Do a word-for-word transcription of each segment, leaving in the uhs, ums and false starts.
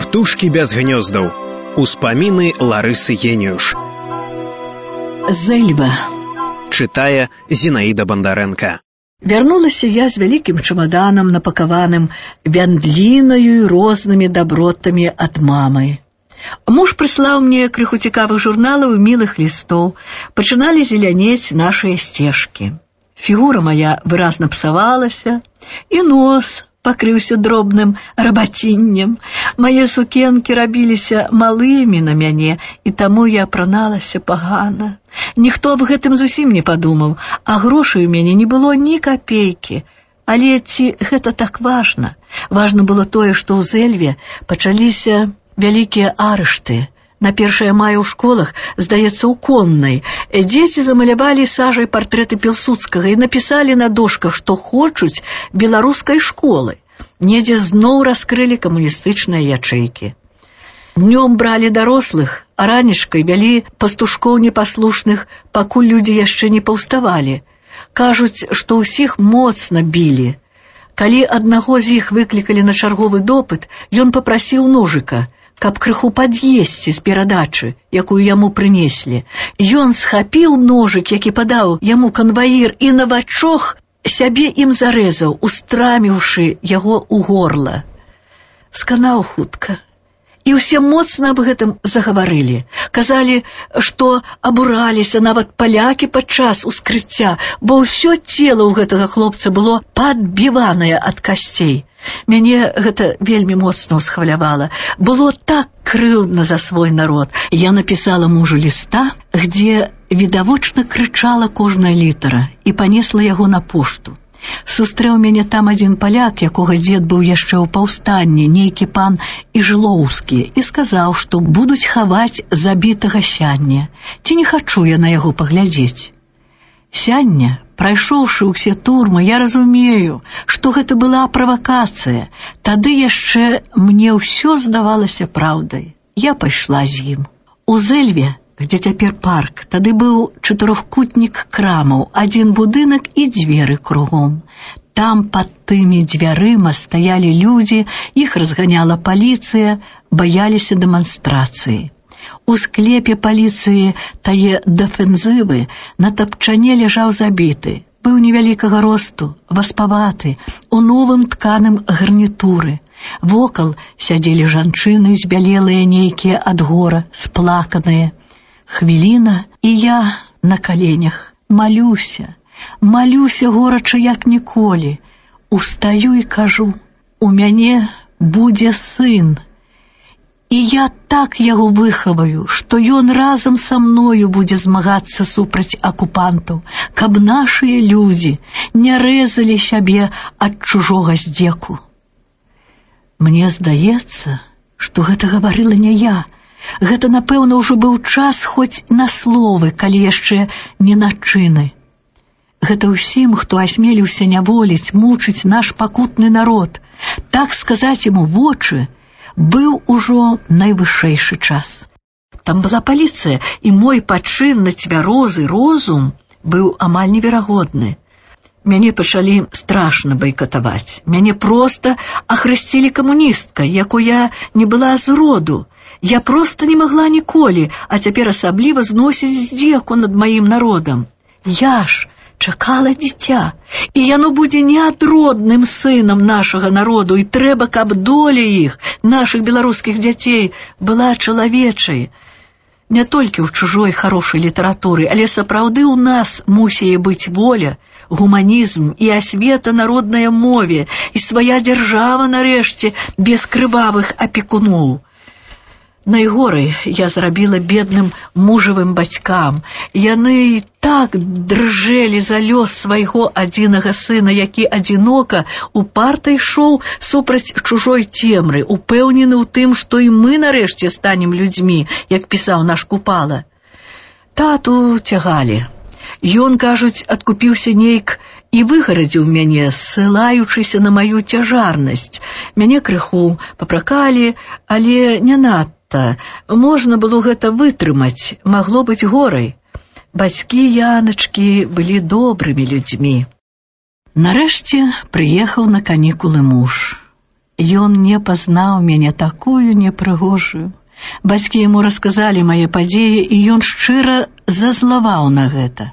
Птушкі без гнёздаў. Успаміны Ларысы Геніюш. Зэльва. Чытае Зінаіда Бандарэнка. Вярнулася я з вялікім чамаданам, напакаваным вяндлінаю і рознымі дабротамі ад мамы. Муж прыслаў мне крыху цікавых журналаў і мілых лістоў. Пачыналі зелянець нашыя сцежкі. Фігура моя выразна псавалася, і нос пакрыўся дробным рабаціннем. Мае сукенкі рабіліся малымі на мяне, і таму я апраналася пагана. Ніхто аб гэтым зусім не падумаў, а грошай у мяне не было ні капейкі. Але ці гэта так важна? Важна было тое, што ў Зэльве пачаліся вялікія арышты. На першае мая ў школах, здаецца, у Коннай, дзеці замалявалі сажай партрэты Пілсудскага і напісалі на дошках, што хочуць беларускай школы. Недзе зноў раскрылі камуністычныя ячэйкі. Днём бралі дарослых, а ранішкай вялі пастушкоў непаслушных, пакуль людзі яшчэ не паўставалі. Кажуць, што ўсіх моцна білі. Калі аднаго з іх выклікалі на чарговы допыт, ён папрасіў ножыка, каб крыху пад'есці з перадачы, якую яму прынеслі. Ён схапіў ножык, які падаў яму канваір, і на вачох сябе ім зарэзаў, устраміўшы яго ў горла. Сканаў хутка. І ўсе моцна аб гэтым загаварылі. Казалі, што абураліся нават палякі падчас ускрыцця, бо ўсё цела ў гэтага хлопца было падбіванае ад касцей. Мяне гэта вельмі моцна ўсхвалявала. Было так крыўдна за свой народ. Я напісала мужу ліста, где відавочна крычала кожная літара, і панесла яго на пошту. Сустрэў мяне там адзін паляк, якога дзед быў яшчэ ў паўстанні, нейкі пан Іжлоўскі, і сказаў, што будуць хаваць забітага сяння. Ці не хачу я на яго паглядзець. Сяння, прайшоўшы ўсе турмы, я разумею, што гэта была правакацыя. Тады яшчэ мне ўсё здавалася праўдай. Я пайшла з ім. У Зэльве, где цяпер парк, тады быў чатырохкутнік крамаў, адзін будынак і дзверы кругом. Там пад тымі дзвярыма стаялі людзі, іх разганяла паліцыя, баяліся дэманстрацыі. У склепе паліцыі тае дэфензывы на тапчане ляжаў забіты. Быў невялікага росту, васпаваты, у новым тканым гарнітуры. Вокал сядзелі жанчыны, збялелыя нейкія ад гора, сплаканыя. Хвіліна, і я на каленях малюся, малюся горача як ніколі. Устаю і кажу, у мяне будзе сын. І я так яго выхаваю, што ён разам са мною будзе змагацца супраць акупантаў, каб нашыя людзі не рэзалі сябе ад чужога здзеку. Мне здаецца, што гэта гаварыла не я. Гэта, напэўна, ўжо быў час хоць на словы, калі яшчэ не на чыны. Гэта ўсім, хто асмеліўся няволіць, мучыць наш пакутны народ, так сказаць яму вочы, быў ужо найвышэйшы час. Там была паліцыя, і мой пачын на цвярозы розум быў амаль неверагодны. Мяне пачалі страшна байкатаваць. Мяне проста ахрысцілі камуністкай, якой я не была з роду. Я проста не магла ніколі, а цяпер асабліва зносіць здзеку над маім народам. Я ж чакала дзіця, і яно будзе неадродным сынам нашага народу, і трэба, каб доля іх, нашых беларускіх дзяцей, была чалавечай. Не толькі ў чужой харошай літаратуры, але сапраўды ў нас мусіе быць воля, гуманізм і асвета народнай мове, і свая дзяржава, нарэшце, без крывавых апекуноў. Найгорай я зрабіла бедным мужавым бацькам. Яны так дрыжэлі за лёс свайго адзінага сына, які адзінока упарта ішоў супраць чужой цемры, упэўнены ў тым, што і мы нарэшце станем людзьмі, як пісаў наш Купала. Тату цягалі. Ён, кажуць, адкупіўся нейк і выгарадзіў мяне, ссылаючыся на маю цяжарнасць. Мяне крыху папракалі, але не надта. Можна было гэта вытрымаць, магло быць горай. Бацькі Яначкі былі добрымі людзьмі. Нарэшце прыехаў на канікулы муж. Ён не пазнаў мяне такую непрыгожую. Бацькі яму расказалі мае падзеі, і ён шчыра зазлаваў на гэта.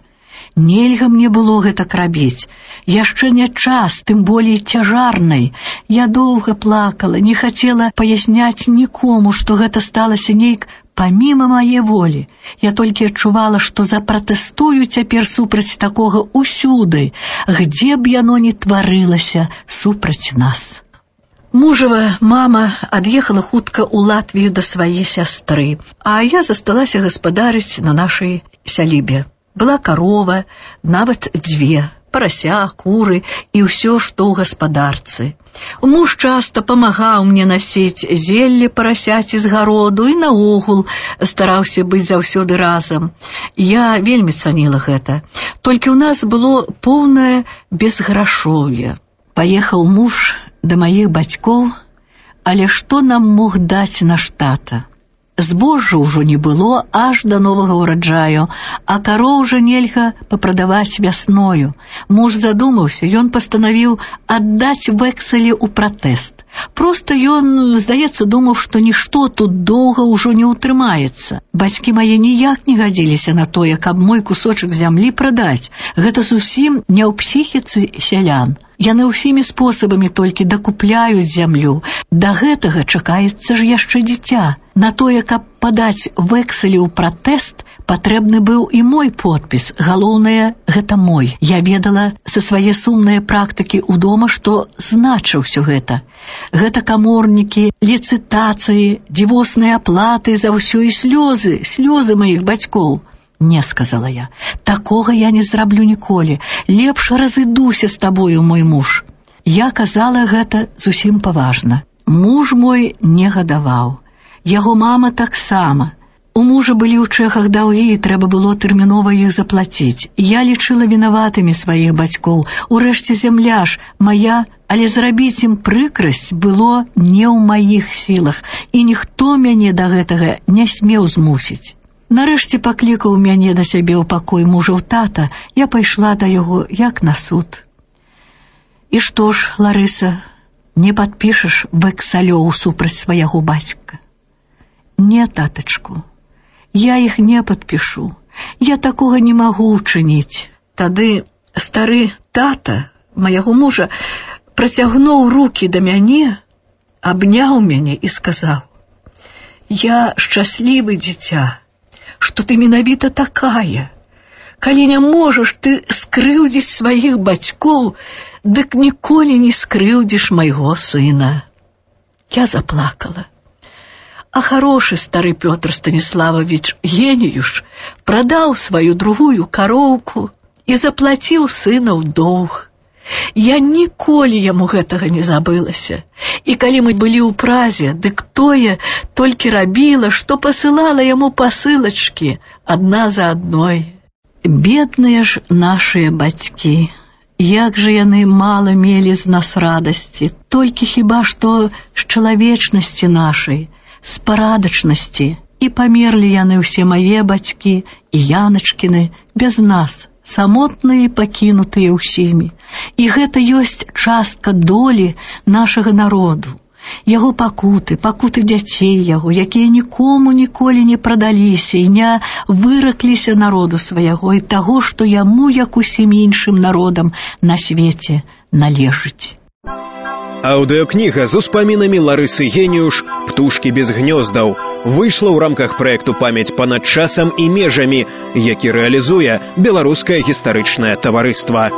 Нельга мне было гэтак рабіць. Яшчэ не час, тым болей цяжарнай. Я доўга плакала, не хацела паясняць нікому, што гэта сталася нейк паміма мае волі. Я толькі адчувала, што запратэстую цяпер супраць такога ўсюды, где б яно ні тварылася супраць нас. Мужава мама ад'ехала хутка ў Латвію да свае сястры, а я засталася гаспадарыць на нашай сялібе. Была карова, нават дзве, парася, куры і ўсё, што ў гаспадарцы. Муж часта памагаў мне насіць зелле парасяці з гароду і наогул стараўся быць заўсёды разам. Я вельмі цаніла гэта. Толькі ў нас было поўнае безграшоўе. Паехаў муж да маіх бацькоў, але што нам мог даць наш тата? Збожжа ўжо не было аж да новага ўраджаю, а кароў жа нельга папрадаваць вясною. Муж задумаўся, ён пастанавіў аддаць вэксалі ў пратэст. Проста ён, здаецца, думаў, што нішто тут доўга ўжо не ўтрымаецца. Бацькі мае ніяк не гадзіліся на тое, каб мой кусочак зямлі прадаць. Гэта зусім не ў псіхіцы сялян. Яны ўсімі спосабамі толькі дакупляюць зямлю. Да гэтага чакаецца ж яшчэ дзіця. На тое, каб падаць вэксалі ў пратэст, патрэбны быў і мой подпіс. Галоўнае, гэта мой. Я ведала са свае сумныя практыкі ў дома, што значыў усё гэта. Гэта каморнікі, ліцытацыі, дзівосныя аплаты за ўсё і слёзы, слёзы маіх бацькоў. Не, сказала я, такога я не зраблю ніколі. Лепш разыдуся з табою, мой муж. Я казала гэта зусім паважна. Муж мой не гадаваў. Яго мама таксама. У мужа былі ў чэхах даўгі, і трэба было тэрмінова іх заплаціць. Я лічыла вінаватымі сваіх бацькоў. Урэшце зямля ж мая, але зрабіць ім прыкрасць было не ў маіх сілах, і ніхто мяне да гэтага не смеў змусіць. Нарэшце паклікаў мяне да сябе ў пакой мужаў тата, я пайшла да яго, як на суд. І што ж, Ларыса, не падпішаш вэксалёў супраць свайго бацька? Не, татачку, я іх не падпішу, я такога не магу ўчыніць. Тады стары тата майго мужа працягнуў рукі да мяне, абняў мяне і сказаў: «Я шчаслівы, дзіця, што ты менавіта такая. Калі не можаш ты скрыўдзіць сваіх бацькоў, дык ніколі не скрыўдзіш майго сына». Я заплакала. А хорошы стары Пётр Станіславович Геніюш прадаў сваю другую кароўку і заплаціў сына ў доўг. Я ніколі яму гэтага не забылася. І калі мы былі ў Празе, дык тое толькі рабіла, што пасылала яму пасылачкі адна за адной. Бедныя ж нашыя бацькі, як жа яны мала мелі з нас радасці, толькі хіба што з чалавечнасці нашай, з парадачнасці, і памерлі яны ўсе мае бацькі і Яначкіны без нас, самотныя і пакінутыя ўсімі. І гэта ёсць частка долі нашага народу. Яго пакуты, пакуты дзяцей яго, якія нікому ніколі не прадаліся і не выракліся народу свайго і таго, што яму, як усім іншым народам на свеце, належыць. Аўдыёкніга з успамінамі Ларысы Геніюш «Птушкі без гнёздаў» выйшла ў рамках праекту «Памяць панад часам і межамі», які рэалізуе Беларускае гістарычнае таварыства.